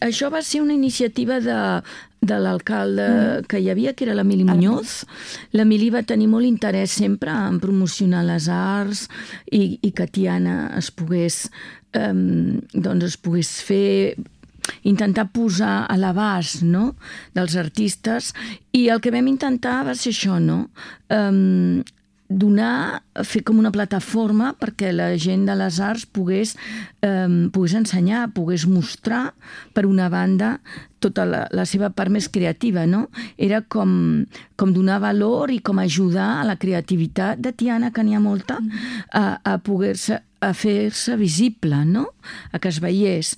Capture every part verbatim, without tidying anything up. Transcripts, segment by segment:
Això va ser una iniciativa de, de l'alcalde mm. que hi havia, que era l'Emili Muñoz. L'Emili va tenir molt interès sempre en promocionar les arts i, i que Tiana es pogués, eh, doncs es pogués fer, intentar posar a l'abast, no?, dels artistes. I el que vam intentar va ser això, no?, eh, donar, fer com una plataforma perquè la gent de les arts pogués, eh, pogués ensenyar, pogués mostrar, per una banda, tota la, la seva part més creativa, no? Era com, com donar valor i com ajudar a la creativitat de Tiana, que n'hi ha molta, a, a poder-se, a fer-se visible, no?, a que es veiés.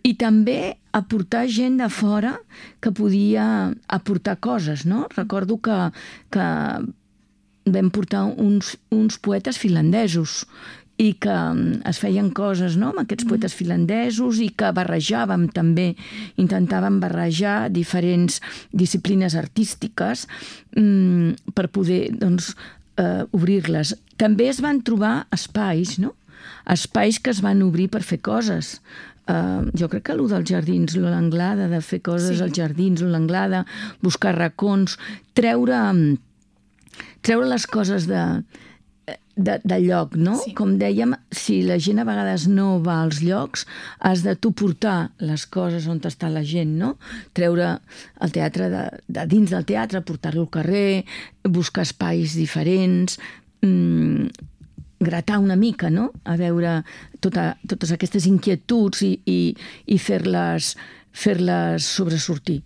I també aportar gent de fora que podia aportar coses, no? Recordo que, que vam portar uns, uns poetes finlandesos i que es feien coses, no?, amb aquests poetes finlandesos i que barrejàvem també, intentàvem barrejar diferents disciplines artístiques mm, per poder, doncs, eh, obrir-les. També es van trobar espais, no?, espais que es van obrir per fer coses. Uh, jo crec que allò dels jardins, l'Anglada, de fer coses sí. als jardins, l'Anglada, buscar racons, treure, treure les coses de, de, de lloc, no? Sí. Com dèiem, si la gent a vegades no va als llocs, has de tu portar les coses on està la gent, no? Treure el teatre de, de dins del teatre, portar-lo al carrer, buscar espais diferents, mmm, gratar una mica, no?, a veure tota, totes aquestes inquietuds i, i, i fer-les fer-les sobresortir.